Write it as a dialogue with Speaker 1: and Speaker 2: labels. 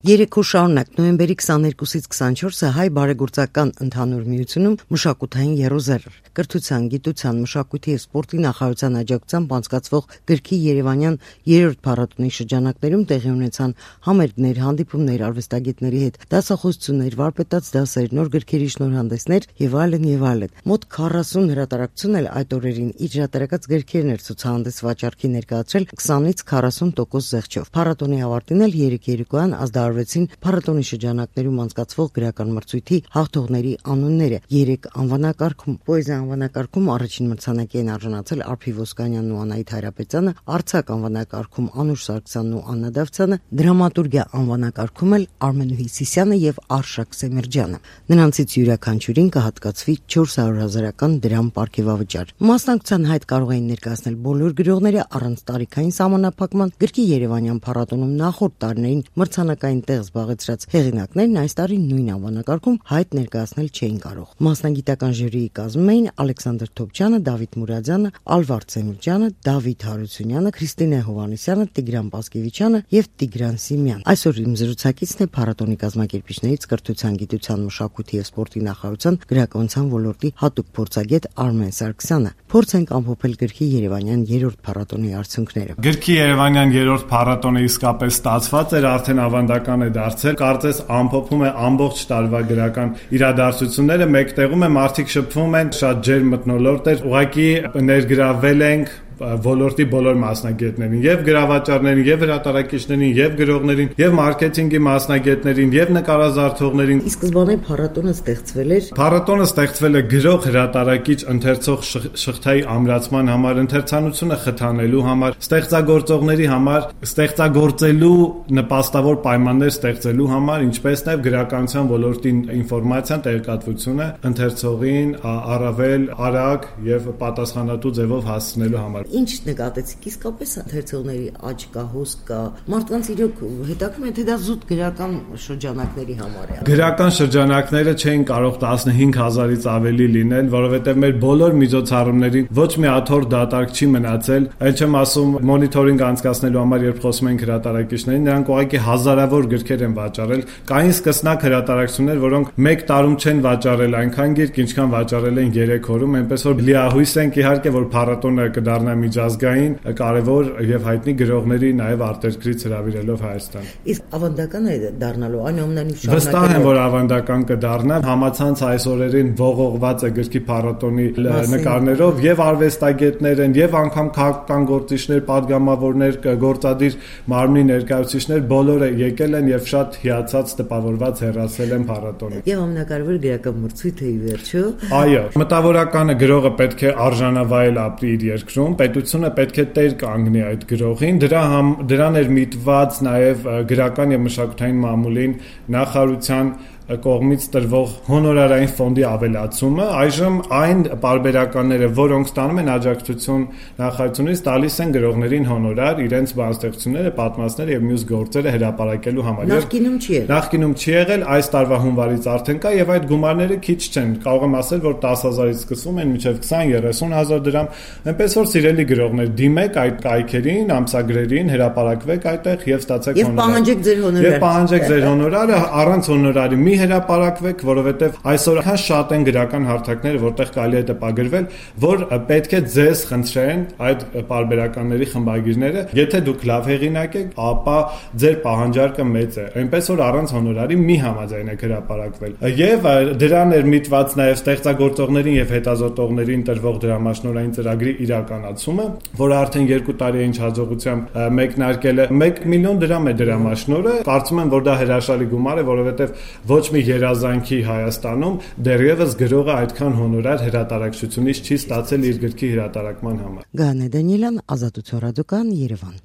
Speaker 1: Երեք օր շարունակ նոյեմբերի 22-ից 24-ը հայ բարեգործական ընդհանուր միությունում մշակութային եռոզեռ կրթության, գիտության, մշակույթի և սպորտի նախարարության աջակցությամբ անցկացվող գրքի երևանյան 3-րդ փառատոնի շրջանակներում տեղի ունեցան համերգներ, հանդիպումներ, արվեստագետների հետ, դասախոսություններ, վարպետաց դասեր, նոր գրքերի շնորհանդեսներ եւ այլն եւ այլն։ Մոտ 40 հրատարակություն էլ այդ օրերին իր հրատարակած գրքերն էր ցուցահանդես վաճառքի ներկայացրել 20-ից 40% զեղչով։ Փառատոնի ավարտին էլ երեք երեկոյան ազդարարվեցին փառատոնի շրջանակներում անցկացվող գրական մրցույթի հաղթողների անունները 3 անվանակարգում։ Պոեզիա անվանակարգում առաջին մրցանակի են արժանացել Արփի Ոսկանյանն ու Անահիտ Հայրապետյանը, արձակ անվանակարգում Անուշ Սարգսյանն ու Աննա Դավթյանը, դրամատուրգիա անվանակարգում էլ Արմեն Հյուսիսյանը եւ Արշակ Սեմերջյանը։ Նրանցից յուրաքանչյուրին կհատկացվի 400,000-ական դրամ պարգևավճար։ Մասնակցության հայտ կարող էին ներկայացնել բոլոր գրողները առանց տարիքային սահմանափակման։ Գրքի երևանյան փառատոնում նախորդ տարիներին մրցանակային տեղ զբաղեցրած հեղինակներն այս տարի նույն անվանակարգում հայտ ներկայացնել չէին կարող։ Մասնագիտական ժյուրիի կազմում էին Ալեքսանդր Թոփչյանը, Դավիթ Մուրադյանը, Ալվարդ Սեմիրջյանը, Դավիթ Հարությունյանը, Քրիստինե Հովհաննիսյանը, Տիգրան Պասկևիչյանը եւ Տիգրան Սիմյան։ Այսօր իմ զրուցակիցն է փառատոնի կազմակերպիչներից կրթության, գիտության, մշակույթի եւ սպորտի նախարարության գրականության ոլորտի հատուկ փորձագետ Արմեն Սարգսյանը։ Փորձենք ամփոփել գրքի երևանյան 3-րդ փառատոնի արդյունքները։
Speaker 2: Գրքի երևանյան 3-րդ փառատոնը իսկապես ստացված էր, արդեն ավանդական է դարձել, կարծես ամփոփում է ամբողջ տարվա գրական իրադարձությունները, մեկտեղում է, մարդիկ շփվում են, շատ ջերմ մթնոլորտ էր, ուղղակի ներգրավել ենք ոլորտի բոլոր մասնագետներին, եւ գրավաճառներին, եւ հրատարակիչներին, եւ գրողներին, եւ մարքեթինգի մասնագետներին, եւ նկարազարդողներին։
Speaker 1: Իսկ սկզբանե փառատոնը ստեղծվել էր։
Speaker 2: Փառատոնը ստեղծվել է գրող, հրատարակիչ, ընթերցող շղթայի ամրացման համար, ընթերցանությունը խթանելու համար, ստեղծագործողների համար, ստեղծագործելու նպաստավոր պայմաններ ստեղծելու համար, ինչպես նաեւ գրականության ոլորտի ինֆորմացիան, տեղեկատվությունը ընթերցողին առավել արագ եւ պատասխանատու ձևով հասցնելու համար։
Speaker 1: Ինչ նկատեցիք, իսկապես ընթերցողների աճ կա, հոսք կա, մարդկանց իրոք հետաքրքրում է, թե դա զուտ գրական շրջանակների համար է։
Speaker 2: Գրական շրջանակները չէին կարող 15,000-ից ավելի լինել, որովհետև մեր բոլոր միջոցառումներին ոչ մի աթոռ դատարկ չի մնացել, այլ չեմ ասում մոնիթորինգ անցկացնելու համար, երբ խոսում ենք հրատարակիչներին, նրանք ուղղակի հազարավոր գրքեր են վաճառել, կային սկսնակ հրատարակություններ, որոնք մեկ տարում չեն վաճառել այնքան գիրք, ինչքան վաճառել են 3 օրում, այնպես որ լիահույս ենք իհարկե, որ փառատոնը կդառնա միջազգային, կարևոր եւ հայտնի գրողների նաեւ արտերկրից հրավիրելով Հայաստան։
Speaker 1: Իսկ ավանդական է դառնալու, այնուամենայնիվ շարունակել։
Speaker 2: Վստահ եմ, որ ավանդական կդառնա, համացանց այս օրերին ողողված է գրքի փառատոնի նկարներով եւ արվեստագետներ են, եւ անգամ քաղաքական գործիչներ, падգամավորներ, գործադիր մարմնի ներկայացուցիչներ բոլորը եկել են եւ շատ հիացած տպավորված հեռացել են փառատոնից։
Speaker 1: Եւ ամենակարևորը գրական մրցույթը ի վերջո։
Speaker 2: Այո, մտավորականը գրողը պետք է արժանավայել ապրի իր երկրում, պետությունը պետք է տեր կանգնի այդ գրողին, դրան էր միտված նաև գրական եւ մշակութային մամուլին նախարարության կողմից տրվող հոնորարային ֆոնդի ավելացումը, այժմ այն պարբերականները, որոնք ստանում են աջակցություն նախարարությունից, տալիս են գրողներին հոնորար իրենց բանաստեղծությունները, պատմվածքները եւ մյուս գործերը հրապարակելու համար։ Նախկինում չի եղել, այս տարվա հունվարից արդեն կա եւ այդ գումարները քիչ չեն, կարող եմ ասել, որ 10,000-ից սկսվում են մինչեւ 20-30,000 դրամ, այնպես որ սիրելի գրողներ, դիմեք այդ կայքերին, ամսագրերին, հրապարակվեք այդտեղ եւ ստացեք հոնորար։ Եվ պահանջեք ձեր հոնորարը, առանց հոնորարի մի հրապարակվեք, որովհետև այսօր քան շատ են գրական հարթակները, որտեղ կարելի է տպագրվել, որ պետք է ձեզ խնդրեն այդ պարբերականների խմբագիրները, եթե դուք լավ հեղինակ եք, ապա ձեր պահանջարկը մեծ է, այնպես որ առանց հոնորարի մի համաձայնեք հրապարակվել։ Եվ դրան էր միտված նաև ստեղծագործողներին եւ հետազոտողներին տրվող դրամաշնորհային ծրագրի իրականացումը, որը արդեն 2 տարի է ինչ հաջողությամբ մեկնարկել է 1 միլիոն դրամ է դրամաշնորհը։ Կարծում եմ, որ դա հրաշալի գումար է, որովհետև ոչ մի երազանքի Հայաստանում դեռևս գրողը այդքան հոնորար հրատարակչությունից չի ստացել իր գրքի հրատարակման համար։
Speaker 1: Գանե Դանիելյան, Ազատություն ռադիոկայան, Երևան։